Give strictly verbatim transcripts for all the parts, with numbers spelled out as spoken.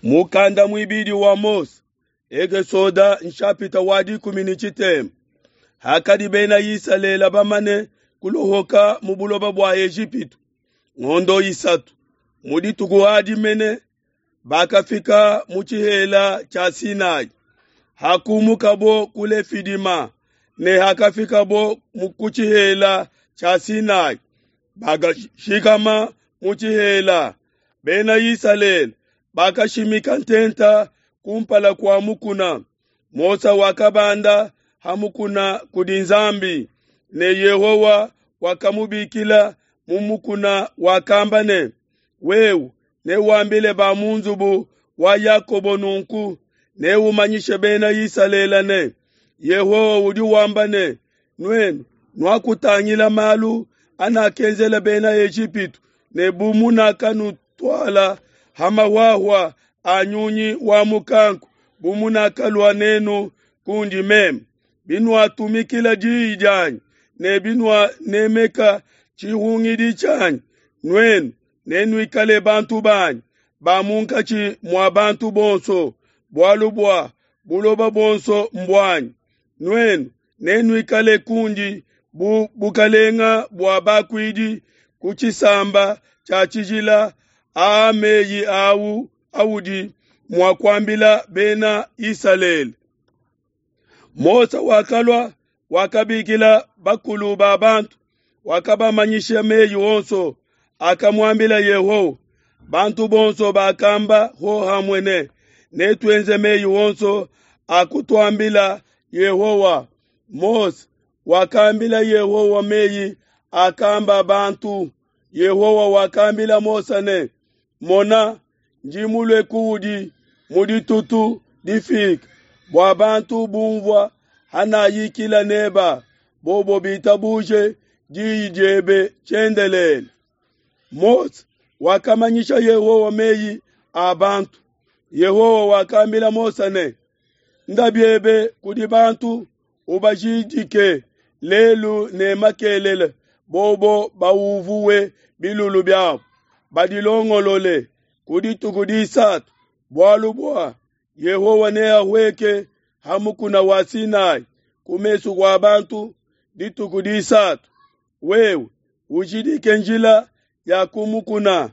Mukanda muibidi wa Mose, Ekesoda nshapita wa dikumi ne tshitema. Hakadi bena Isalele bamane kulohoka mu buloba bua Ejipitu ngondo isatu, mu dituku adi mene bakafika mu tshihela tshia Sinai. Hakumukabo ku Lefidima ne hakafikabo ku tshihela tshia Sinai, bakashikama mu tshihela. Bena Isalele bakashimika ntenta kumpala kua mukuna. Mose wakabanda ha mukuna kudi Nzambi, ne Yehowa wakamubikila mu mukuna, wakamba ne: Wewe newambile ba mu nzubu wa Yakobo nunku, neumanyishe bena Isalele ne: Yehowa udi wamba ne: Nuenu nuakutangila malu anakenzela bena Ejipitu ne bu munakanutuala ha mahuahua a nyunyi wa mukanku, bu munakalua nenu kundi meme. Binuatumikila diyi dianyi ne binuanemeka tshihungidi tshianyi, nuenu nenuikale bantu banyi ba munkatshi mua bantu bonso, bualu bua buloba buonso mbuanyi. Nuenu nenuikale kundi bu bukalenga bua bakuidi, ku tshisamba tshia tshijila. Aa meyi au audi mua kuambila bena Isalele. Mose wakalua, wakabikila bakulu ba bantu, wakabamanyisha meyi onso akamuambila Yehowa. Bantu bonso bakamba hohamue ne: Netuenze meyi onso akutuambila Yehowa. Mose wakambila Yehowa meyi akamba bantu. Yehowa wakambila Mose ne: Mona, ndi mulue kuudi mu ditutu difike, bua bantu bumvua hanayikila neba, bobo bitabuje diyi diebe tshiendelele. Mose wakamanyisha Yehowa meyi a bantu. Yehowa wakambila Mose ne: Nda biebe kudi bantu, ubajidike lelu ne makelele, bobo bauvuwe bilulu biabo, badilongolole ku dituku disatu, bualu bua Yehowa neahueke ha mukuna wa Sinai ku mesu kua bantu dituku disatu. Wewe ujidike njila ya ku mukuna,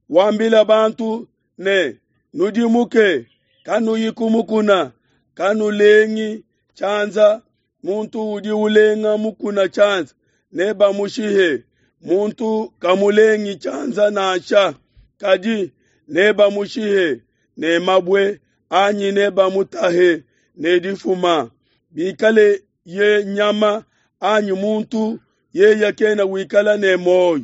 wambila bantu ne: Nudimuke, kanuyi ku mukuna, kanulengi tshianza. Muntu udi ulenga mukuna tshianza nebamushihe, muntu kamulengi tshianza nansha, kadi nebamushihe ne mabue anyi nebamutahe ne difuma. Bikale ye nyama anyi muntu, yeye kena wikala ne muoyo.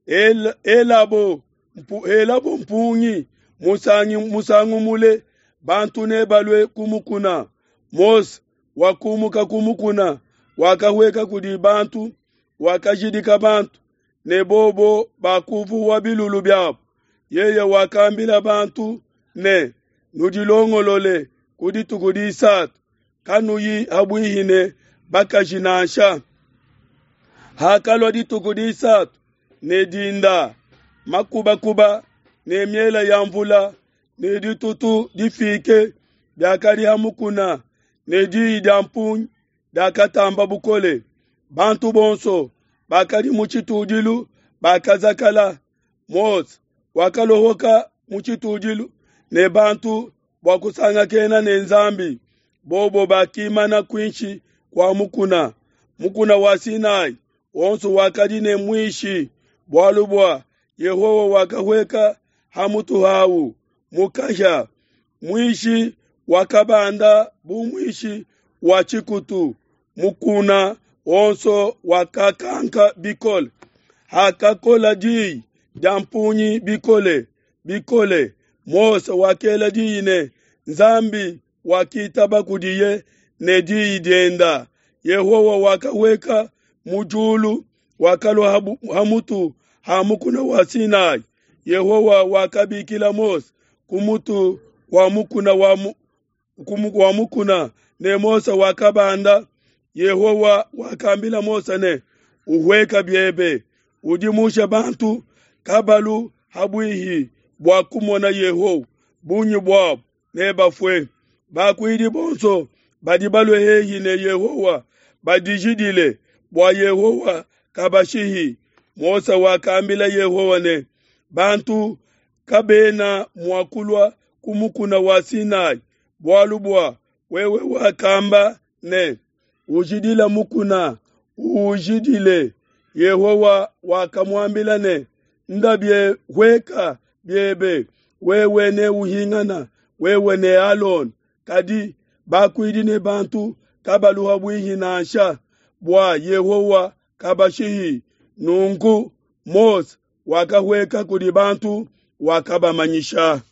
El, elabo mpu, elabo mpungi musangi, musangu mule, bantu nebalue ku mukuna. Mose wakumuka ku mukuna, wakahueka kudi bantu, wakajidika bantu, ne bobo bakuvuwa bilulu biabo. Yeye wakambila bantu ne: Nudilongolole ku dituku disatu, kanuyi habuihi ne bakaji nansha. Hakalua dituku disatu ne dinda, makubakuba ne miela ya mvula ne ditutu difike biakadi ha mukuna, ne diyi dia mpungi diakatamba bukole. Bantu bonso bakadi mu tshitudilu bakazakala. Mose wakalohoka mu tshitudilu ne bantu bua kusangakena ne Nzambi. Bobo bakimana kuinshi kua mukuna. Mukuna wa Sinai wonso wakadi ne muishi, bualu bua Yehowa wakahueka ha mutu hawu mu kahia. Muishi wakabanda bu muishi wa tshikutu, mukuna wonso wakakanka bikole. Hakakola diyi dia mpungi bikole bikole, Mose wakela diyi ne Nzambi wakitaba kudiye ne diyi dienda. Yehowa wakahueka mu diulu, wakalua ha mutu ha mukuna wa Sinai. Yehowa wakabikila Mose ku mutu wa mukuna wa, mu, wa mukuna, ne Mose wakabanda. Yehowa wakambila Mose ne: Uhueka biebe, udimushe bantu kabalu habuihi bua kumona Yehowa, bungi buabo nebafue. Bakuidi bonso badi balue hehi ne Yehowa badijidile, bua Yehowa kabashihi. Mose wakambila Yehowa ne, Bantu kabena mua kulua ku mukuna wa Sinai, bualu bua wewe wakamba ne, Ujidile mukuna, uujidile. Yehowa wakamuambila ne, Nda bie hueka biebe, wewe neuhingana, wewe ne Alona, kadi bakuidi ne bantu kabalu ha buihi nansha, bua Yehowa kabashihi. Nunku Mose wakahueka kudi bantu, wakabamanyisha.